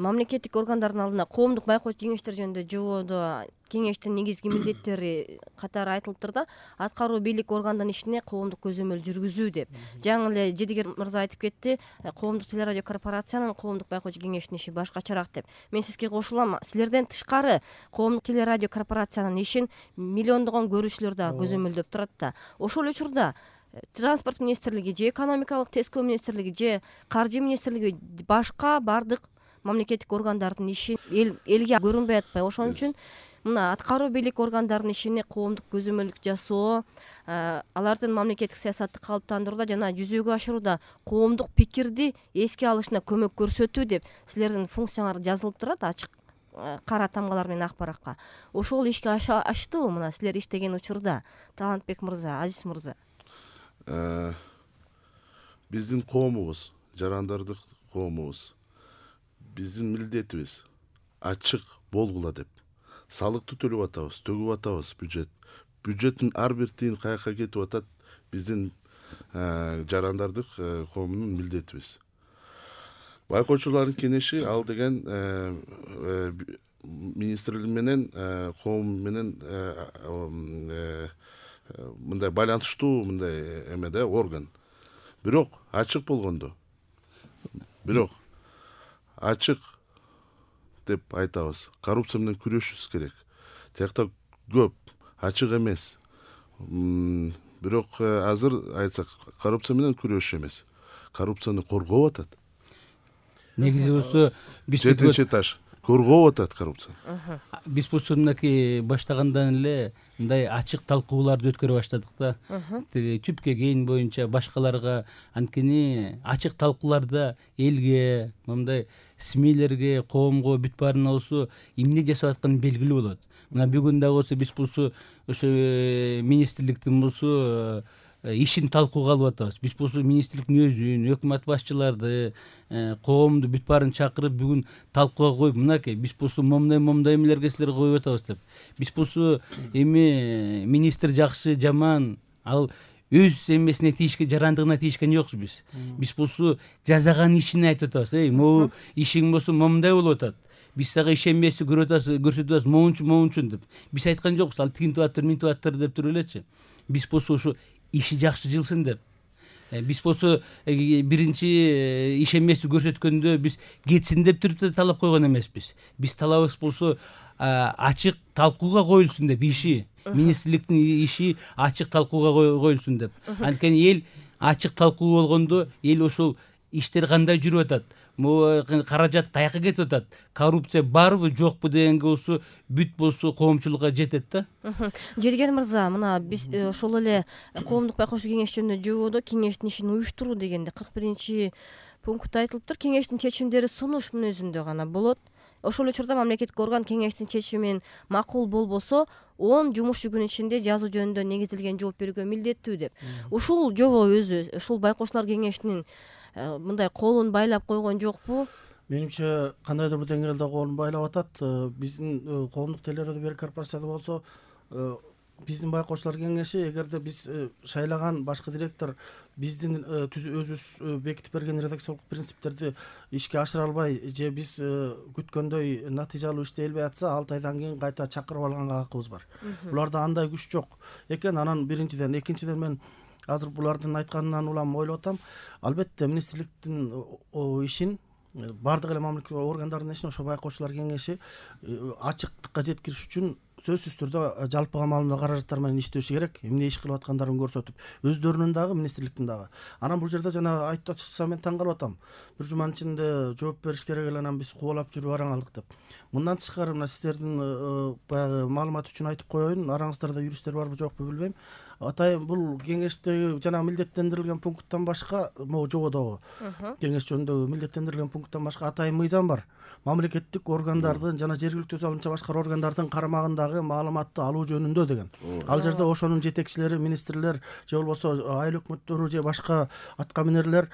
мамлекеттик органдардын алдына коомдук байкоочу кеңештер жөнүндө жободо кеңештин негизги милдеттери катары айтылыптыр да, аткаруу бийлик органдын ишине коомдук көзөмөл жүргүзүү деп. Жаңы эле Жедигер мырза айтып кетти, коомдук телерадио корпорациянын коомдук байкоочу кеңештин иши башкачараак деп. Мен сизге кошулам, силерден тышкары коомдук телерадио корпорациянын ишин миллиондогон көрүүчүлөр дагы көзөмөлдөп турат да. Ошол учурда транспорт министрлиги же экономикалык тескөө министрлиги же каржы министрлиги башка бардык мамлекеттик органдардын иши элге көрүнбөй атпайбы? Ошон үчүн мына аткаруу бийлик органдардын ишине коомдук көзөмөлдүк жасоо, алардын мамлекеттик саясатты калыптандырууда жана жүзөгө ашырууда коомдук пикирди эске алышына көмөк көрсөтүү деп силердин функцияңар жазылып турат ачык кара тамгалар менен ак баракка. Ошол ишке аштыбы мына силер иштеген учурда, Талантбек мырза, Азиз мырза? Биздин коомубуз, жарандардык коомубуз, биздин милдетибиз ачык болгула деп салыкты төлөп атабыз, төгүп атабыз бюджеттин ар бир тыйын каяка кетип атат, биздин жарандардык коомунун милдетибиз. Байкоочулардын кеңеши ал деген министрлик менен коом менен мындай байланыштуу мындай эме да орган. Бирок ачык болгондо, ачык деп айтабыз. Коррупция менен күрөшүбүз керек. Тиякта көп, ачык эмес. Бирок азыр айтсак, коррупция менен күрөшүш эмес. Коррупцияны коргоп атат. Негизи болсо жетинчи этаж коргоп атат коррупция. Биз болсо мынакей баштагандан эле мындай ачык талкууларды өткөрө баштадык да. Түпкө кейин боюнча башкаларга анткени ачык талкууларда элге, мындай СМИлерге, коомго бүт баарына болсо эмне жасап атканы белгилүү болот. Мына бүгүн дагы болсо биз болсо ошо министрликтин болсо ишин талкууга алып атабыз. Биз болсо министрликтин өзүн, өкмөт башчыларды, коомду бүт баарын чакырып бүгүн талкууга коюп, мынакей биз болсо момундай эмелерге силер коюп атабыз деп. Биз болсо эми министр жакшы, жаман, ал өз эмесине тийишке, жарандыгына тийишкен жокпуз биз. Биз болсо жасаган ишин айтып атабыз. Могу ишиң болсо момундай болуп атат. Биз сага ишенбейсиз, көрсөтүп атабыз, моунчун деп. Биз айткан жокпуз, ал тигинтип атыр, минтип атыр деп туруп элечи. Биз болсо ошо иши жакшы жылсын деп. Биз болсо биринчи ишенбестик көрсөткөндө биз кетсин деп туруп талап койгон эмеспиз. Биз талабыбыз болсо ачык талкууга коюлсун деп, иши министрликтин иши ачык талкууга коюлсун деп. Анткени эл ачык талкуу болгондо эл ошол иштер кандай жүрүп атат, каражат каяка кетип атат, коррупция барбы жокпу дегенге болсо бүт болсо коомчулукка жетет да. Жедигер мырза, мына биз ошол эле коомдук байкоочу кеңеш жөнүндө жободо кеңештин ишин уюштуруу дегенде 41 пунктта айтылыптыр. Кеңештин чечимдери сунуш мүнөзүндө гана болот. Ошол учурда мамлекеттик орган кеңештин чечими менен макул болбосо 10 жумуш күнү ичинде жазуу жөнүндө негизилген жооп берүүгө милдеттүү деп. Ушул жобо өзү, ушул байкоочулар кеңешинин мындай колун байлап койгон жокпу? Менимче кандайдыр бир деңгээлде колун байлап атат. Биздин коомдук телерадио корпорацияда болсо биздин байкоочулар кеңеши, эгерде биз шайлаган башкы директор биздин өзүбүз бекитип берген редакциялык принциптерди ишке ашыра албай же биз күткөндөй натыйжалуу иштей албай атса, 6 айдан кийин кайта чакырып алганга акыбыз бар. Буларда андай күч жок экен. Анан биринчиден, экинчиден мен азыр булардын айтканынан улам ойлоп атам. Албетте министрликтин ишин бардык эле мамлекеттик органдардын ишин ошо байкоочулар кеңеши ачыктыкка жеткириш үчүн сөзсүз түрдө жалпыга маалымдоо каражаттары менен иштеши керек. Эмне иш кылып аткандарын көрсөтүп, өздөрүнүн дагы, министрликтин дагы. Анан бул жерде жана айтып атышса мен таң калып атам. Бир жуманын ичинде жооп бериш керек эле, анан биз кубалап жүрүп араң алдык деп. Мындан тышкары мына сиздердин баягы маалымат үчүн айтып коеюн, араңыздарда юристтер барбы жокпу билбейм. Атайын бул кеңештеги жана милдеттендирилген пункттан башка, могу жободогу кеңеш жөнүндөгү милдеттендирилген пункттан башка атайын мыйзам бар. Мамлекеттик органдардын жана жергиликтүү өз алдынча башка органдардын карамагындагы маалыматты алуу жөнүндө деген. Ал жерде ошонун жетекчилери, министрлер же болбосо айыл өкмөттөрү же башка аткаминерлер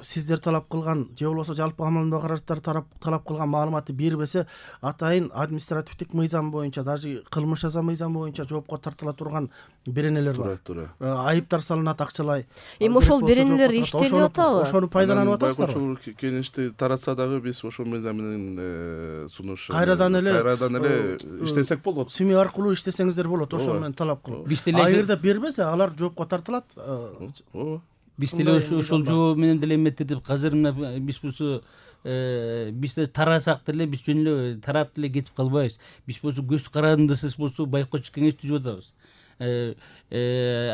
сиздер талап кылган же болбосо жалпы амалдоо караштар талап кылган маалыматты бербесе атайын административдик мыйзам боюнча даже кылмыш жаза мыйзамы боюнча жоопко тартыла турган беренелер бар. Туура. Айыптар салынат акчалай. Эми ошол беренелер иштелип атабы? Ошону пайдаланып атасыздарбы? Байкоочулук кеңешти таратса дагы биз ошол мыйзам менен сунуш Кайрадан эле иштесек болот. СМИ аркылуу иштесеңиздер болот, ошол менен талап кылып. Эгерде бербесе алар жоопко тартылат. Биз деле ошол жоо менен деле эметип азыр мына биз болсо биз тарасак деле биз жөн эле тарап деле кетип калбайбыз. Биз болсо көз карандысыз болсо байкоочу кеңеш түзүп атабыз.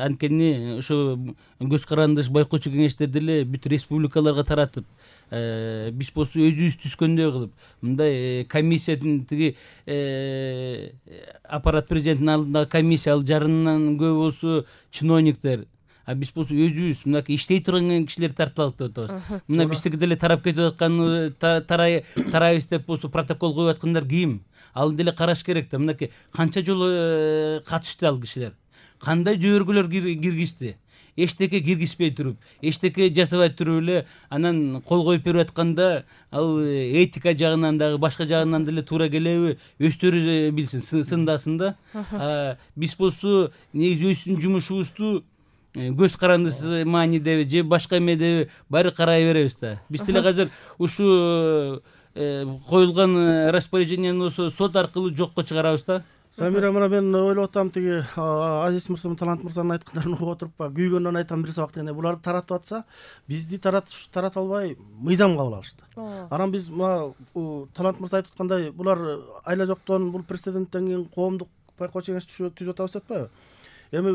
Анткени ошо көз карандыш байкоочу кеңештер деле бүт республикаларга таратып, биз болсо өзүбүз түзгөндөй кылып мындай комиссиянын тиги аппарат президенттин алдындагы комиссия, ал жарымынан көп болсо чиновниктер, а биз болсо өзүбүз мынакей иштей турган кишилерди тартып алып деп атабыз. Мына биздики деле тарап кетип аткан тарайбыз деп болсо протокол коюп аткандар ким? Ал деле караш керек да. Мынакей канча жолу катышты ал кишилер, кандай жөбөргөлөр киргизди, эчтеке киргизбей туруп, эчтеке жасабай туруп эле анан кол коюп берип атканда ал этика жагынан дагы башка жагынан деле туура келеби, өздөрү билсин, сындасын да. Биз болсо негизи өзүбүздүн жумушубузду көз карандысы маанидеби же башка эмедеби баары карай беребиз да. Биз деле азыр ушу коюлган распоряжениени болсо сот аркылуу жокко чыгарабыз да. Самира, мына мен ойлоп атам, тиги Азиз мырза, Талант мырзанын айткандарын угуп отуруп, күйгөндөн айтам бир сабак дегенде, буларды таратып атса, бизди тарата албай мыйзам кабыл алышты. Анан биз мына Талант мырза айтып аткандай, булар айла жоктон бул прецеденттен кийин коомдук байкоочу кеңеш түзүп атабыз деп атпайбы? Эми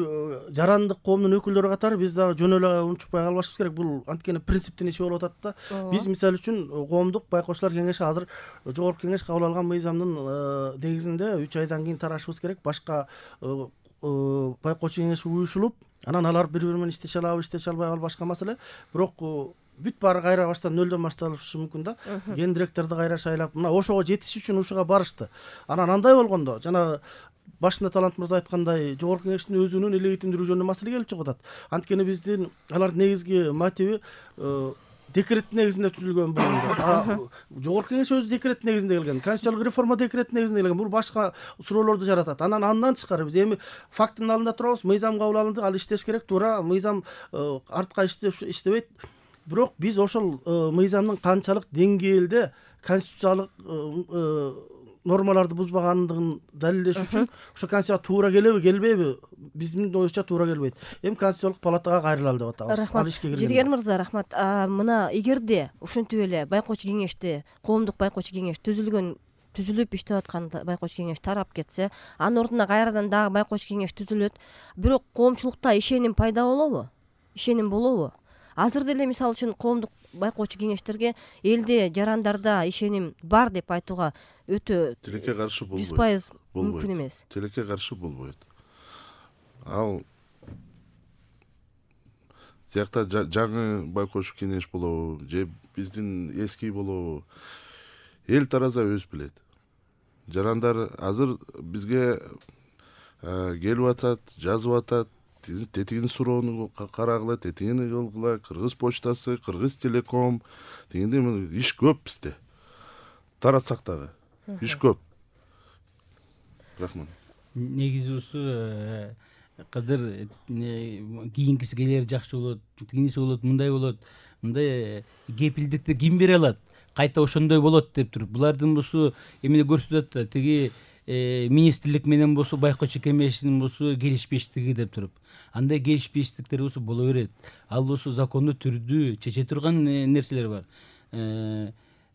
жарандык коомдун өкүлдөрү катары биз дагы жөн эле унчукпай калбашыбыз керек. Бул анткени принциптин иши болуп атат да. Биз мисалы үчүн коомдук байкоочулар кеңеши азыр жогорку кеңеш кабыл алган мыйзамдын негизинде 3 айдан кийин тарашыбыз керек. Башка байкоочу кеңеш уюшулуп, анан алар бири-бири менен иштеше алабы, иштеше албай калбы башка маселе. Бирок бүт баары кайра баштан нөлдөн башталышы мүмкүн да. Гендиректорду кайра шайлап, мына ошого жетиш үчүн ушуга барышты. Анан андай болгондо, жана башында Талант мырза айткандай, жогорку кеңештин өзүнүн легитимдүүлүгү жөнүндө маселе келип чыгып атат. Анткени биздин алардын негизги мотиви декрет негизинде түзүлгөн болгондо. Жогорку кеңеш өзү декрет негизинде келген, конституциялык реформа декрет негизинде келген. Бул башка суроолорду жаратат. Андан тышкары биз эми фактынын алдында турабыз, мыйзам кабыл алынды, ал иштеш керек, туура, мыйзам артка иштебейт. Бирок биз ошол мыйзамдын канчалык деңгээлде конституциялык нормаларды бузбагандыгын далилдеш үчүн ошо конституцияга туура келеби, келбейби? Биздин оюбузча туура келбейт. Эми конституциялык палатага кайрылалы деп атабыз. Ал ишке кирген. Жетигер мырза, рахмат. Мына эгерде ушинтип эле байкоочу кеңешти, коомдук байкоочу кеңеш түзүлүп иштеп аткан байкоочу кеңеш тарап кетсе, анын ордуна кайрадан дагы байкоочу кеңеш түзүлөт. Бирок коомчулукта ишеним пайда болобу? Ишеним болобу? Азыр деле мисалы үчүн коомдук байкоочу кеңештерге элде, жарандарда ишеним бар деп айтууга өтө тилекке каршы болбойт. 100% мүмкүн эмес. Тилекке каршы болбойт. Ал тиякта жаңы байкоочу кеңеш болобу же биздин эски болобу, эл тараза өз билет. Жарандар азыр бизге келип атат, жазып атат, тетигин суроону карагыла, тетигини кылгыла, Кыргыз почтасы, Кыргыз телеком, дегенде иш көп бизде. Таратсак дагы иш көп. Рахмат. Негизи ушу кадыр кийинкиси келери жакшы болот, тигиниси болот, мындай болот. Мындай кепилдикти ким бере алат? Кайта ошондой болот деп туруп. Булардын болсо эмне көрсөтөт да, тиги министрлик менен болсо байкоочу кеңештин болсо келишпештиги деп туруп. Андай келишпештиктер болсо боло берет. Ал болсо закондуу түрдүү чече турган нерселер бар.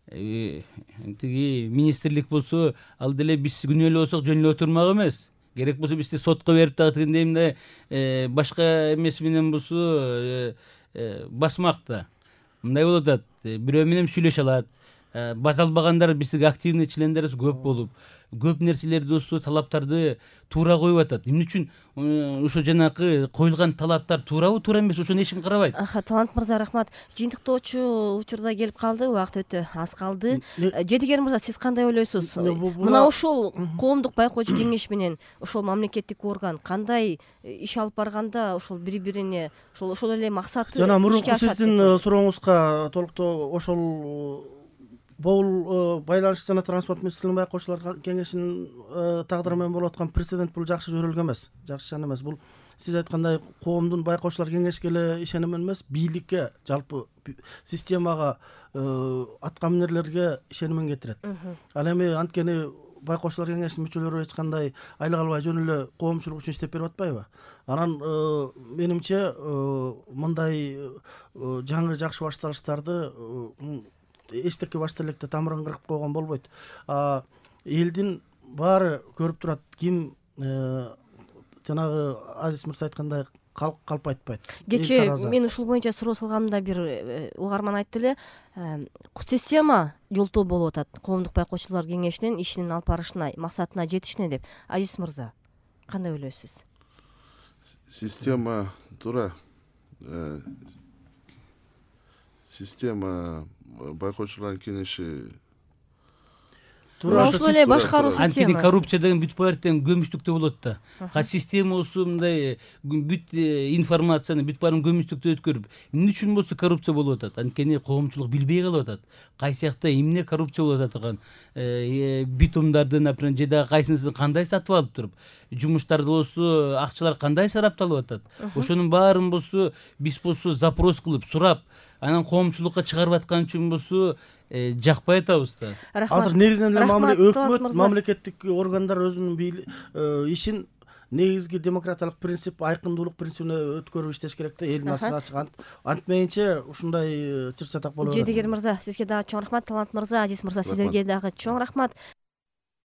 Тиги министрлик болсо ал деле биз күнөө эле болсок жөн эле отурмак эмес. Керек болсо бизди сотко берип дагы тигиндей мындай башка эмеси менен болсо басмак да. Мындай болуп атат. Бирөө менен сүйлөшө алат. бажа албагандар биздики активный члендерибиз көп болуп, көп нерселерди осы талаптарды туура коюп атат. Эмне үчүн ошо жанакы коюлган талаптар туурабы, туура эмеспи, ошону эч ким карабайт. Талант мырза, рахмат. Жыйынтыктоочу учурда келип калды, убакыт өтө аз калды. Жедигер мырза, сиз кандай ойлойсуз? Мына ошол коомдук байкоочу кеңеш менен ошол мамлекеттик орган кандай иш алып барганда ошол бири-бирине ошол эле максаты жана ишке мурунку ашат сиздин деп. сурооңузга толуктоо ошол бул байланыш жана транспорт министрлигинин байкоочулар кеңешинин тагдыры менен болуп аткан прецедент бул жакшы жөрөлгө эмес, жакшы шана эмес. Бул сиз айткандай коомдун байкоочулар кеңешке эле ишеним эмес, бийликке, жалпы системага, аткаминерлерге ишенимин кетирет. Ал эми анткени байкоочулар кеңешинин мүчөлөрү эч кандай айлык албай жөн эле коомчулук үчүн иштеп берип атпайбы? Анан менимче мындай жаңы жакшы башталыштарды эчтеке башта электе тамырын кырып койгон болбойт. Элдин баары көрүп турат, ким жанагы Азиз мырза айткандай калп айтпайт. Кечээ мен ушул боюнча суроо салганымда бир угарман айтты эле, система жолтоо болуп атат коомдук байкоочулар кеңешинин ишинин алып барышына, максатына жетишине деп. Азиз мырза, кандай ойлойсуз? Система туура. Система байкоочулардын кеңеши ошол эле башкаруу системасы. Анткени коррупция деген бүт баардыгын көмүстүктө болот да. Системасы мындай бүт информацияны бүт баарын көмүстүктө өткөрүп, эмне үчүн болсо коррупция болуп атат? Анткени коомчулук билбей калып атат. Кайсы жакта эмне коррупция болуп атат, битумдарды, например, же дагы кайсынысын кандай сатып алып туруп, жумуштарды болсо акчалар кандай сарапталып атат. Ошонун баарын болсо биз болсо запрос кылып, сурап, анан коомчулукка чыгарып аткан үчүн болсо жакпай атабыз да. Азыр негизинен эле өкмөт, мамлекеттик органдар өзүнүн ишин негизги демократиялык принцип, айкындуулук принцибине өткөрүп иштеш керек да, элдин ачык. Антмейинче ушундай чыр чатак болот. Жедигер мырза, сизге дагы чоң рахмат. Талант мырза, Азиз мырза, сиздерге дагы чоң рахмат.